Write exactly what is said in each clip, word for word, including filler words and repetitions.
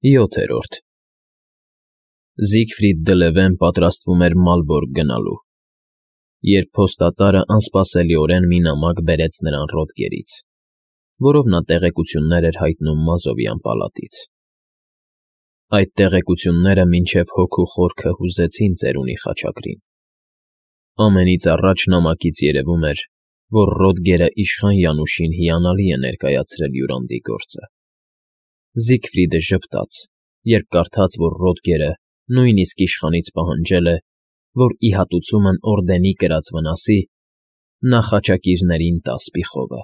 ՅՈԹԵՐՈՐԴ Զիգֆրիդ դե Լևեն պատրաստվում էր Մալբորգ գնալու, երբ փոստատարը անսպասելիորեն մի նամակ բերեց նրան Ռոդգերից, որով նա տեղեկություններ էր հայտնում Մազովյան պալատից։ Այդ տեղեկությունները մինչև հոգու խորքը հուզեցին ծերունի խաչակրին։ Ամենից առաջ նամակից երևում էր, որ Ռոդգերը իշխան Յանուշին հիանալի է ներկայացրել յուրանդի գործը։ Զիգֆրիդը ժպտաց, երբ կարդաց, որ Ռոդգերը նույնիսկ իշխանից պահանջել է, որ ի հատուցումն օրդենի կրած վնասի, նա խաչակիրներին տա սպիխովը։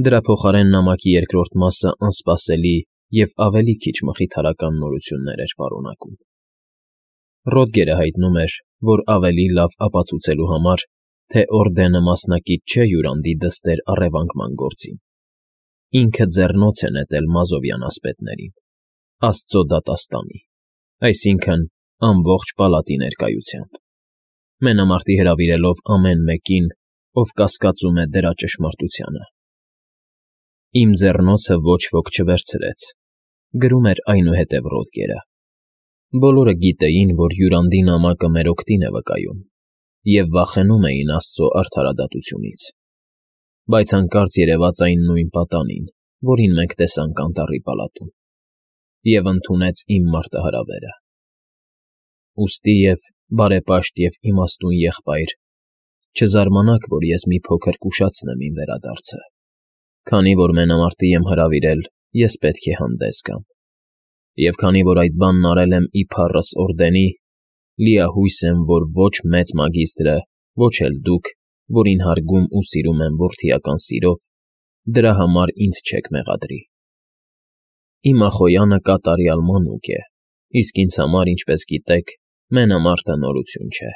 Դրա փոխարեն նամակի երկրորդ մասը անսպասելի և ավելի քիչ մխիթարական նորություններ էր պարունակում։ Ռոդգերը հայտնում էր, որ ավելի լավ ապացուցելու համար, թե օրդենը մասնակից չէ յուրանդի դստեր առևանգման գործին, ինքը ձեռնոց է նետել Մազովյան ասպետներին, աստծո դատաստանի, այսինքն՝ ամբողջ պալատի ներկայությամբ, մենամարտի հրավիրելով ամեն մեկին, ով կասկածում է դրա ճշմարտությանը։ Իմ ձեռնոցը ոչ ոք չվերցրեց, գրում էր այնուհետև Ռոդգերը։ Բոլորը գիտեին, որ յուրանդի նամակը մեր օգտին է վկայում, և վախենում էին աստծո արդարադատությունից, բայց հանկարծ երևաց այն նույն պատանին, որին մենք տեսանք անտառի պալատում, և ընդունեց իմ մարտահրավերը։ Ուստի և բարեպաշտ և իմաստուն եղբայր, չզարմանաք, որ ես մի փոքր կուշացնեմ իմ վերադարձը, քանի որ մենամարտի եմ հրավիրել, ես պետք է հանդես գամ, և քանի որ այդ բանն արել եմ ի փառս օրդենի, լիահույս եմ, որ ոչ մեծ մագիստրը, ոչ էլ դուք, որին հարգում ու սիրում եմ որդիական սիրով, դրա համար ինձ չեք մեղադրի։ Իմ ախոյանը կատարյալ մանուկ է, իսկ ինձ համար, ինչպես գիտեք, մենամարտը նորություն չէ։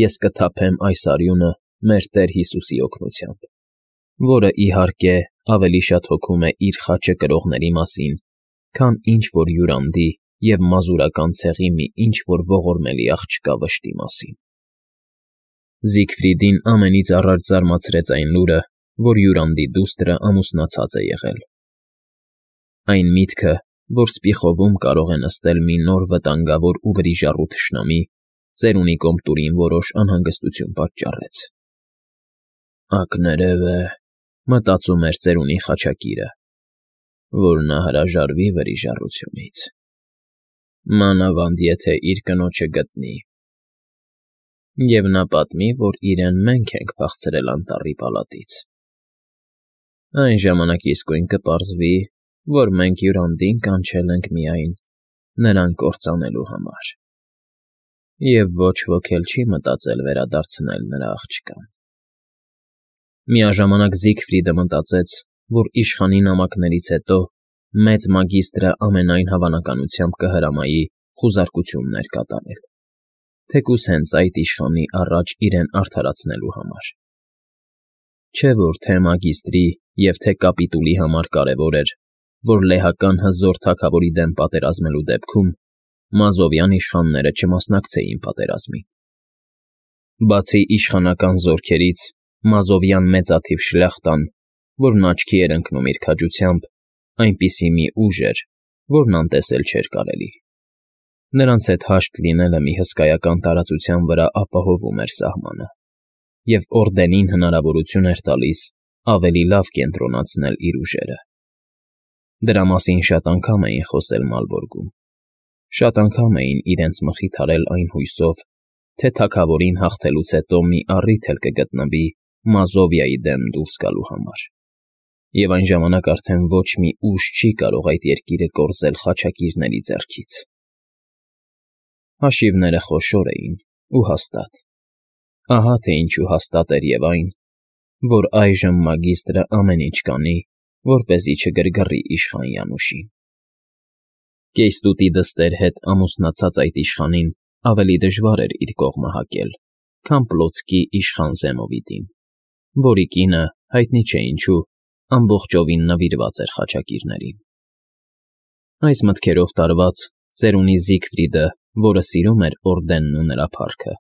Ես կթափեմ այս արյունը մեր Տեր Հիսուսի օգնությամբ, որը, իհարկե, ավելի շատ հոգում է իր խաչը կրողների մասին, քան ինչ-որ յուրանդի և մազուրական ցեղի մի ինչ-որ ողորմելի աղջկա վշտի մասին։ Զիգֆրիդին ամենից առաջ զարմացրեց այն լուրը, որ յուրանդի դուստրը ամուսնացած է եղել։ Այն միտքը, որ սպիխովում կարող է նստել մի նոր վտանգավոր ու վրիժառու թշնամի, ծերունի կոմտուրին որոշ անհանգստություն պատճառեց։ «Ակներև է,֊ մտածում էր ծերունի խաչակիրը,֊ որ նա հրաժարվի վրիժառությունից, մանավանդ եթե իր կնոջը գտնի, և նա պատմի, որ իրեն մենք ենք փախցրել անտառի պալատից։ Այն ժամանակ իսկույն կպարզվի, որ մենք յուրանդին կանչել ենք միայն նրան կործանելու համար, և ոչ ոք էլ չի մտածել վերադարձնել նրա աղջկան»։ Միաժամանակ Զիգֆրիդը մտածեց, որ իշխանի նամակներից հետո մեծ մագիստրը ամենայն հավանականությամբ կհրամայի խուզարկություններ կատարել, թեկուզ հենց այդ իշխանի առաջ իրեն արդարացնելու համար։ Չէ՞ որ թե՛ մագիստրի և թե՛ կապիտուլի համար կարևոր էր, որ լեհական հզոր թագավորի դեմ պատերազմելու դեպքում մազովյան իշխանները չմասնակցեին պատերազմին։ Բացի իշխանական զորքերից, մազովյան մեծաթիվ շլյախտան, որն աչքի էր ընկնում իր քաջությամբ, այնպիսի մի ուժ էր, որն անտեսել չէր կարելի։ Նրանց հետ հաշտ լինելը մի հսկայական տարածության վրա ապահովում էր սահմանը, և օրդենին հնարավորություն էր տալիս ավելի լավ կենտրոնացնել իր ուժերը։ Դրա մասին շատ անգամ էին խոսել Մալբորգում, շատ անգամ էին իրենց մխիթարել այն հույսով, թե թագավորին հաղթելուց հետո մի առիթ էլ կգտնվի Մազովիայի դեմ դուրս գալու համար, և այն ժամանակ արդեն ոչ մի ուժ չի կարող այդ երկիրը կորզել խաչակիրների ձեռքից։ Հաշիվները խոշոր էին ու հաստատ։ Ահա թե ինչու հաստատ էր և այն, որ այժմ մագիստրը ամեն ինչ կանի, որպեսզի չգրգռի իշխան Յանուշին։ Կեյստուտի դստեր հետ ամուսնացած այդ իշխանին ավելի դժվար էր իր կողմը հակել, քան Պլոցկի իշխան Զեմովիդին, որի կինը, հայտնի չէ ինչու, ամբողջովին նվիրված էր խաչակիրներին։ Այս մտքերով տարված, ծերունի Զիգֆրիդը, որը սիրում էր օրդենն ու նրա փառքը,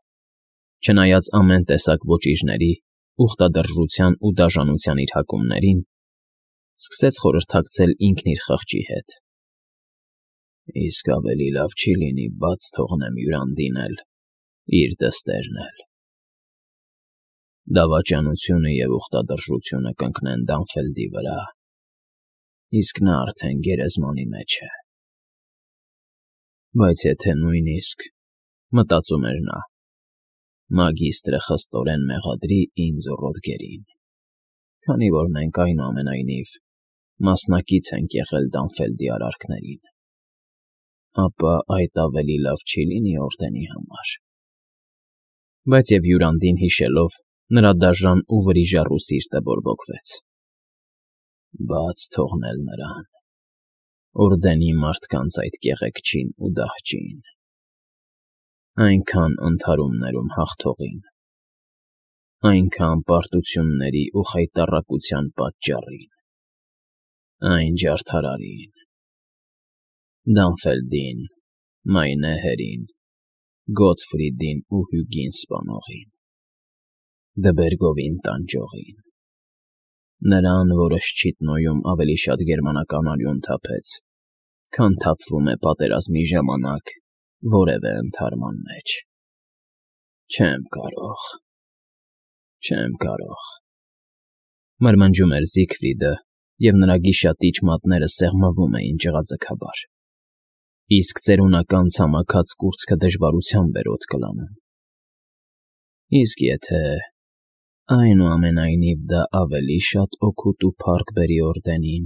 չնայած ամեն տեսակ ոճիժների, ուխտադրժության ու դաժանության իր հակումներին, Սկսեց խորհրդակցել ինքն իր խղճի հետ։ Իսկ ավելի լավ չի լինի բաց թողնեմ Յուրանդին էլ, իր դստերն էլ։ Դավաճանությունը և ուխտադրժությունը կընկնեն Դանֆելդի վրա, իսկ նա արդեն գերեզմանի մեջ է։ Բայց եթե նույնիսկ, մտածում էր նա, մագիստրը խստորեն մեղադրի ինձ ու Ռոդգերին, քանի որ մենք, այնուամենայնիվ, մասնակից ենք եղել Դանֆելդի արարքներին, ապա այդ ավելի լավ չի լինի օրդենի համար։ Բայց և Յուրանդին հիշելով, նրա դաժան ու վրիժառու սիրտը բորբոքվեց։ Բաց թողնել նրան, օրդենի մարդկանց այդ կեղեքչին ու դահճին, այնքան ընդհարումներում հաղթողին, այնքան պարտությունների ու խայտառակության պատճառին, այն ջարդարարին, Դանֆելդին, Մայնեհերին, Գոթֆրիդին ու Հյուգին սպանողին, Դբերգովին տանջողին, նրան, որը Շչիտնոյում ավելի շատ գերմանական արյուն թափեց, քան թափվում է պատերազմի ժամանակ որևէ ընդհարման մեջ։ Չեմ կարող, չեմ կարող, մրմնջում էր Զիգֆրիդը, և նրա գիշատիչ մատները սեղմվում էին ջղաձգաբար, իսկ ծերունական ցամաքած կուրծքը դժվարությամբ էր օդ կլանում։ Իսկ եթե, այնուամենայնիվ, դա ավելի շատ օգուտ ու փառք բերի օրդենին,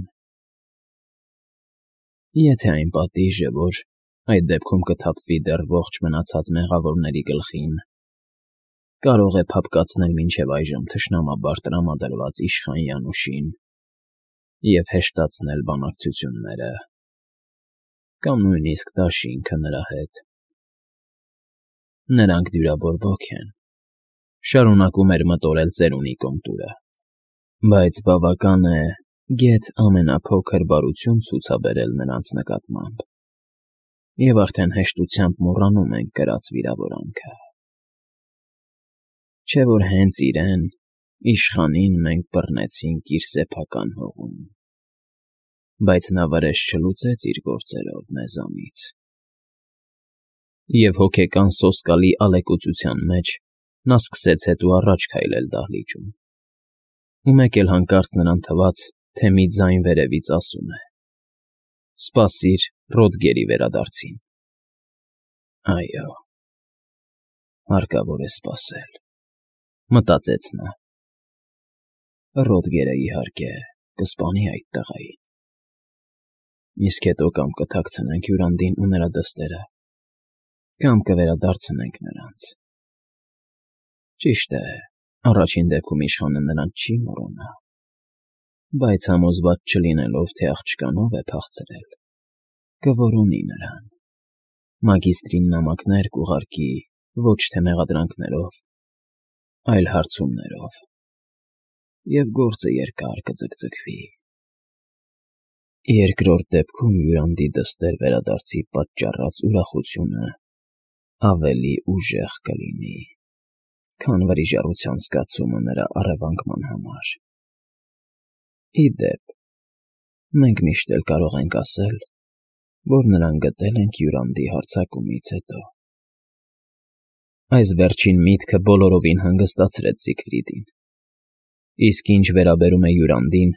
եթե այն պատիժը, որ այդ դեպքում կթափվի դեռ ողջ մնացած մեղավորների գլխին, կարող է փափկացնել մինչև այժմ թշնամաբար տրամադրված իշխան Յանուշին և հեշտացնել բանակցությունները, կամ նույնիսկ դաշինքը նրա հետ։ Նրանք դյուրաբորբոք են, շարունակում էր մտորել ծերունի կոմտուրը, բայց բավական է գեթ ամենափոքր բարություն ցուցաբերել նրանց նկատմամբ, և արդեն հեշտությամբ մոռանում ենք կրած վիրավորանքը։ Չէ՞ որ հենց իրեն, իշխանին, մենք բռնեցինք իր սեփական հողում, բայց նա վրեժ չլուծեց իր գործերով մեզանից։ Եվ հոգեկան սոսկալի ալեկոծության մեջ նա սկսեց հետո առաջ քայլել դահլիճում, ու մեկ էլ հանկարծ նրան թվաց, թե մի ձայն վերևից ասում է. «Սպասիր Ռոդգերի վերադարձին»։ Այո, հարկավոր է սպասել, մտածեց նա։ Ռոդգերը, իհարկե, կսպանի այդ տղային, իսկ հետո կամ կթաքցնենք Յուրանդին ու նրա դստերը, կամ կվերադարձնենք նրանց։ Ճիշտ է, առաջին դեպքում իշխանը նրան չի մոռանա, բայց համոզված չլինելով, թե աղջկան ով է փախցրել, կորոնի նրան, մագիստրին նամակներ կուղարկի ոչ թե մեղադրանքներով, այլ հարցումներով, և գործը երկար կձգձգվի։ Երկրորդ դեպքում Յուրանդի դստեր վերադարձի պատճառած ուրախությունը ավելի ուժեղ կլինի, քան վրիժառության զգացումը նրա առևանգման համար։ Ի դեպ, մենք միշտ էլ կարող ենք ասել, որ նրան գտել ենք Յուրանդի հարձակումից հետո։ Այս վերջին միտքը բոլորովին հանգստացրեց Զիգֆրիդին, իսկ ինչ վերաբերում է Յուրանդին,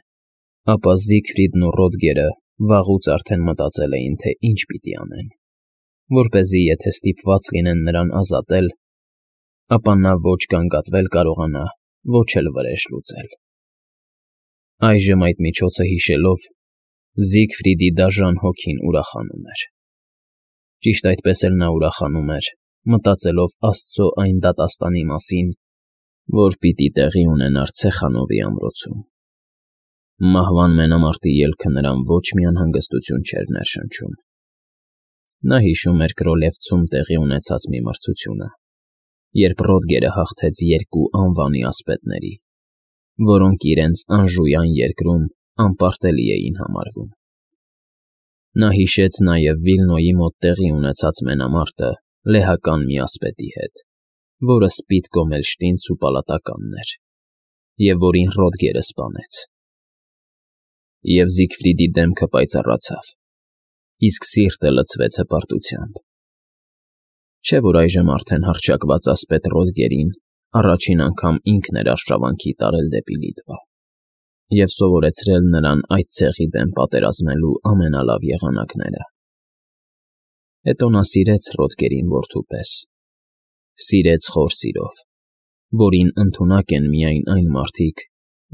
ապա Զիգֆրիդն ու Ռոդգերը վաղուց արդեն մտածել էին, թե ինչ պիտի անեն, որպեսզի եթե ստիպված լինեն նրան ազատել, ապա նա ոչ գանգատվել կարողանա, ոչ էլ վրեժ լուծել։ Այժմ այդ միջոցը հիշելով, Զիգֆրիդի դաժան հոգին ուրախանում էր։ Ճիշտ այդպես էլ նա ուրախանում էր, մտածելով Աստծո այն դատաստանի մասին, որ պիտի տեղի ունենար Ցեխանովի ամրոցում։ Մահվան մենամարտի ելքը նրան ոչ մի անհանգստություն չէր ներշնչում։ Նա հիշում էր Կրոլևցում տեղի ունեցած մի մրցությունը, երբ Ռոդգերը հաղթեց երկու անվանի ասպետների, որոնք իրենց անժույան երկրում անպարտելի էին համարվում։ Նա հիշեց նաև Վիլնոյի մոտ տեղի ունեցած մենամարտը լեհական մի ասպետի հետ, որը Սպիտ Կոմելշտինց ու պալատականն էր, և որին Ռոդգերը սպանեց։ և Զիգֆրիդի դեմքը պայծառացավ, իսկ սիրտը լցվեց հպարտությամբ։ Չէ՞ որ այժմ արդեն հռչակված ասպետ Ռոդգերին առաջին անգամ ինքն էր արշավանքի տարել դեպի Լիտվա և սովորեցրել նրան այդ ցեղի դեմ պատերազմելու ամենալավ եղանակները։ Հետո նա սիրեց Ռոդգերին որդու պես, սիրեց խոր սիրով, որին ընդունակ են միայն այն մարդիկ,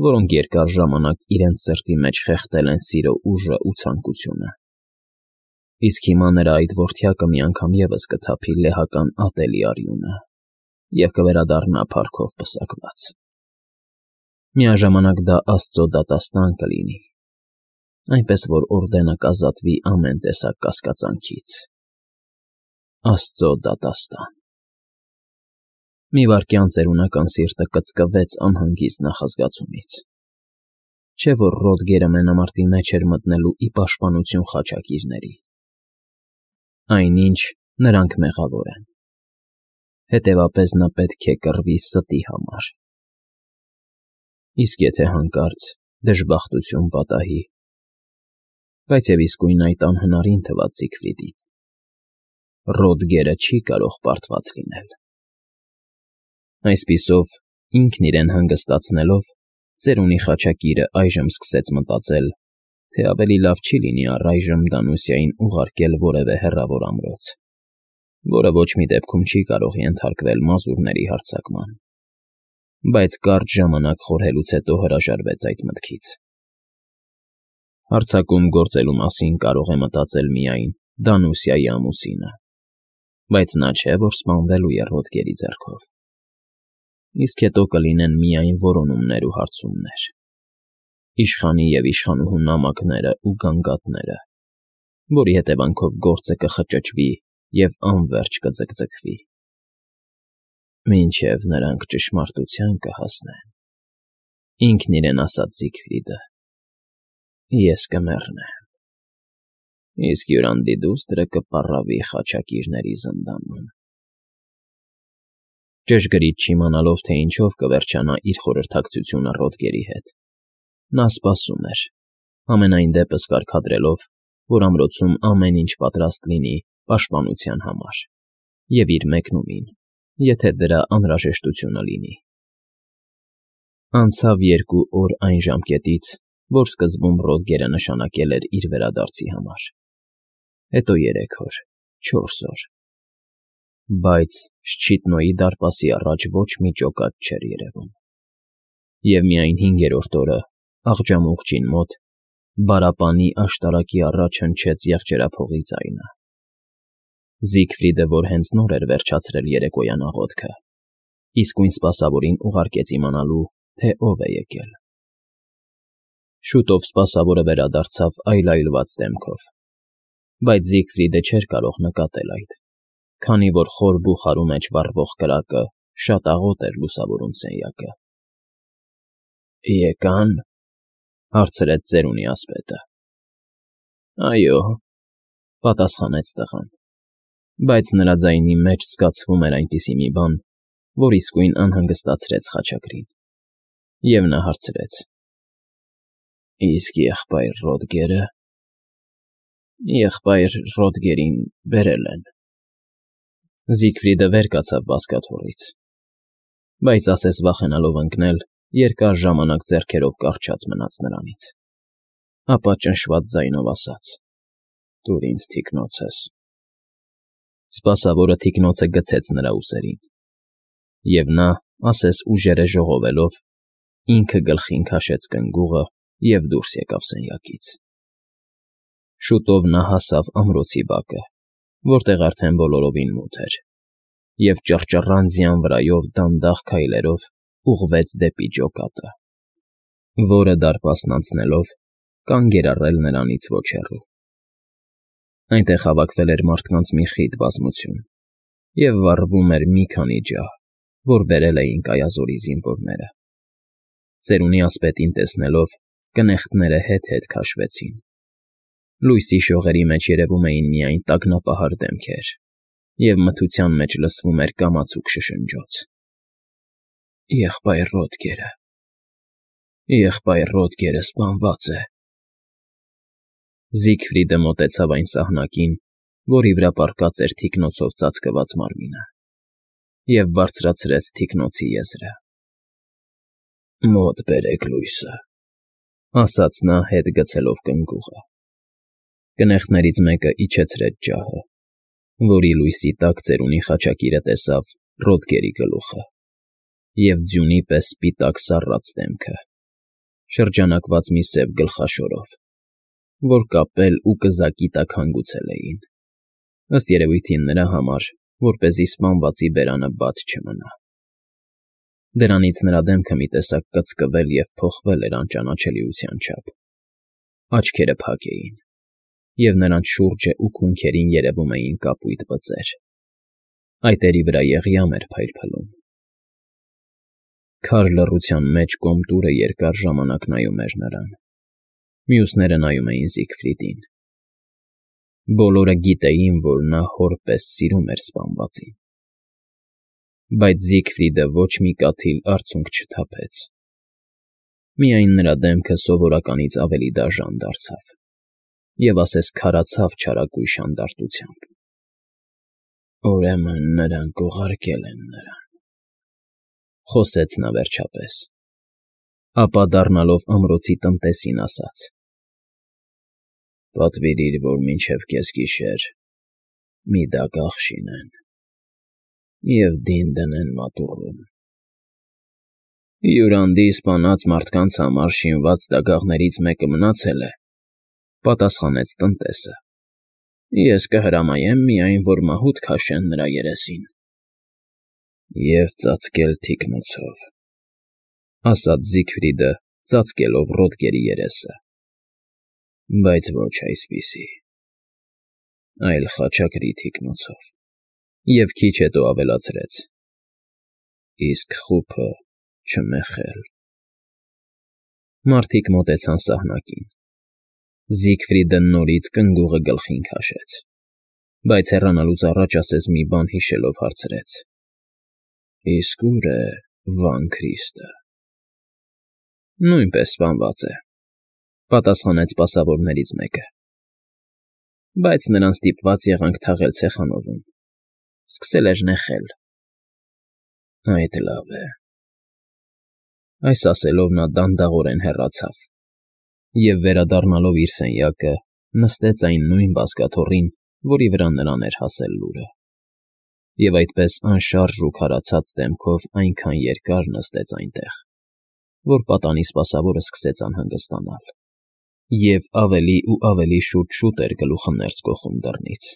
որոնք երկար ժամանակ իրենց սրտի մեջ խեղդել են սիրո ուժն ու ցանկությունը։ Իսկ հիմա նրա այդ որդյակը մի անգամ ևս կթափի լեհական ատելի արյունը և կվերադառնա փառքով պսակված։ Միաժամանակ դա աստծո դատաստան կլինի, այնպես որ Օրդենը կազատվի ամեն տեսակ կասկածանքից։ Աստծո դատաստան։ Մի վայրկյան ծերունական սիրտը կծկվեց անհանգիստ նախազգացումից։ Չէ՞ որ Ռոդգերը մենամարտի մեջ էր մտնելու ի պաշտպանություն խաչակիրների։ Այնինչ, նրանք մեղավոր են, հետևաբար նա պետք է կռվի ստի համար։ Իսկ եթե հանկարծ դժբախտություն պատահի, բայց և իսկույն այդ անհնարին թվաց Զիգֆրիդին, Ռոդգերը չի կարող պարտված լինել։ Այսպիսով, ինքն իրեն հանգստացնելով, ծերունի խաչակիրը այժմ սկսեց մտածել, թե ավելի լավ չի լինի առայժմ Դանուսիային ուղարկել որևէ հեռավոր ամրոց, որը ոչ մի դեպքում չի կարող ենթարկվել մազուրների հարձակման, բայց կարճ ժամանակ խորհելուց հետո հրաժարվեց այդ մտքից։ Հարձակում գործելու մասին կարող է մտածել միայն Դանուսիայի ամուսինը, բայց նա չէ, որ սպանվելու է Ռոդգերի ձեռքով։ Իսկ հետո կլինեն միայն որոնումներ ու հարցումներ, իշխանի և իշխանուհու նամակները ու գանգատները, որի հետևանքով գործը կխճճվի և անվերջ կձգձգվի, մինչև նրանք ճշմարտության կհասնեն։ Ինքն իրեն ասաց Զիգֆրիդը. «Ես կմեռնեմ, իսկ հյուրանդի դուստրը կպառավի խաչակիրների զնդանում»։ Ճշգրիտ չիմանալով, թե ինչով կվերջանա իր խորհրդակցությունը Ռոդգերի հետ, նա սպասում էր, համենայն դեպս կարգադրելով, որ ամրոցում ամեն ինչ պատրաստ լինի պաշտպանության համար և իր մեկնումին, եթե դրա անհրաժեշտությունը լինի։ Անցավ երկու օր այն ժամկետից, որ սկզբում Ռոդգերը նշանակել էր իր վերադարձի համար, հետո երեք օր, չորս օր, բայց Շչիտնոյի դարպասի առաջ ոչ մի ջոկատ չէր երևում։ Եվ միայն հինգերորդ օրը, աղջամուղջին մոտ, բարապանի աշտարակի առաջ հնչեց եղջերափողի ձայնը։ Զիգֆրիդը, որ հենց նոր էր վերջացրել երեկոյան աղոթքը, իսկույն սպասավորին ուղարկեց իմանալու, թե ով է եկել։ Շուտով սպասավորը վերադարձավ այլայլված դեմքով, բայց Զիգֆրիդը չէր կարող նկատել այդ, քանի որ խոր բուխարու մեջ վառվող կրակը շատ աղոտ էր լուսավորում սենյակը։ «Եկա՞ն,» հարցրեց ծերունի ասպետը։ «Այո,֊ պատասխանեց տղան, բայց նրա ձայնի մեջ զգացվում էր այնպիսի մի բան, որ իսկույն անհանգստացրեց խաչակրին, և նա հարցրեց. «Իսկ եղբայր Ռոդգերը…» «Եղբայր Ռոդգերին բերել են…»։ Զիգֆրիդը վեր կացավ բազկաթոռից, բայց ասես վախենալով ընկնել, երկար ժամանակ ձեռքերով կառչած մնաց նրանից, ապա ճնշված ձայնով ասաց. «Տուր ինձ թիկնոցս»։ Սպասավորը թիկնոցը գցեց նրա ուսերին, և նա, ասես ուժերը ժողովելով, ինքը գլխին քաշեց կնգուղը և դուրս եկավ սենյակից։ Շուտով նա հասավ ամրոցի բակը, որտեղ արդեն բոլորովին մութ էր, և ճռճռանձյան վրայով դանդաղ քայլերով ուղղվեց դեպի ջոկատը, որը, դարպասն անցնելով, կանգ էր առել նրանից ոչ հեռու։ Այնտեղ հավաքվել էր մարդկանց մի խիտ բազմություն, և վառվում էր մի քանի ջահ, որ բերել էին Կայազորի զինվորները։ Ծերունի ասպետին տեսնելով, կնեղտները հետ֊հետ քաշվեցին։ Լույսի շողերի մեջ երևում էին միայն տագնապահար դեմքեր, և մթության մեջ լսվում էր կամացուկ շշնջոց. «Եղբայր Ռոդգերը… Եղբայր Ռոդգերը սպանված է»։ Զիգֆրիդը մոտեցավ այն սահնակին, որի վրա պառկած էր թիկնոցով ծածկված մարմինը, և բարձրացրեց թիկնոցի եզրը։ «Մոտ բերեք լույսը», ասաց նա, հետ գցելով կնգուղը։ Կնեղտներից մեկը իջեցրեց ջահը, որի լույսի տակ ծերունի խաչակիրը տեսավ Ռոդգերի գլուխը և ձյունի պես սպիտակ սառած դեմքը, շրջանակված մի սև գլխաշորով, որ կապել ու կզակի տակ հանգուցել էին, ըստ երևույթին նրա համար, որպեսզի սպանվածի բերանը բաց չմնա։ Դրանից նրա դեմքը մի տեսակ կծկվել և փոխվել էր անճանաչելիության չափ, աչքերը փակ էին, և նրանց շուրջն ու քունքերին երևում էին կապույտ բծեր, այտերի վրա եղյամ էր փայլփլում։ Քար լռության մեջ Կոմտուրը երկար ժամանակ նայում էր նրան, մյուսները նայում էին Զիգֆրիդին։ Բոլորը գիտեին, որ նա հոր պես սիրում էր սպանվածին, բայց Զիգֆրիդը ոչ մի կաթիլ արցունք չթափեց, միայն նրա դեմքը սովորականից ավելի դաժան դարձավ և ասես քարացավ չարագույժ հանդարտությամբ։ «Ուրեմն նրանք ուղարկել են նրան», խոսեց նա վերջապես, ապա դառնալով ամրոցի տնտեսին ասաց. «Պատվիրիր, որ մինչև կեսգիշեր մի դագաղ շինեն և դին դնեն մատուռում»։ «Յուրանդի սպանած մարդկանց համար շինված դագաղներից մեկը մնացել է», պատասխանեց տնտեսը։ «Ես կհրամայեմ միայն, որ մահուդ քաշեն նրա երեսին»։ «Եվ ծածկել թիկնոցով», ասաց Զիգֆրիդը, ծածկելով Ռոդգերի երեսը, «բայց ոչ այսպիսի, այլ խաչակրի թիկնոցով»։ Եվ քիչ հետո ավելացրեց. «Իսկ խուփը չմեխել»։ Մարդիկ մոտեցան սահնակին։ Զիգֆրիդը նորից կնգուղը գլխին քաշեց, բայց հեռանալուց առաջ ասես մի բան հիշելով հարցրեց. «Իսկ ո՞ւր է Վան Քրիստը»։ «Նույնպես սպանված է», պատասխանեց սպասավորներից մեկը, «բայց նրան ստիպված եղանք թաղել ցեխանովում, սկսել էր նեխել»։ «Այդ լավ է»։ Այս ասելով նա դանդաղորեն հեռացավ և, վերադառնալով իր սենյակը, նստեց այն նույն բազկաթոռին, որի վրա նրան էր հասել լուրը, և այդպես անշարժ ու քարացած դեմքով այնքան երկար նստեց այնտեղ, որ պատանի սպասավորը սկսեց անհանգստանալ և ավելի ու ավելի շուտ֊շուտ էր գլուխը ներս գոխում դռնից։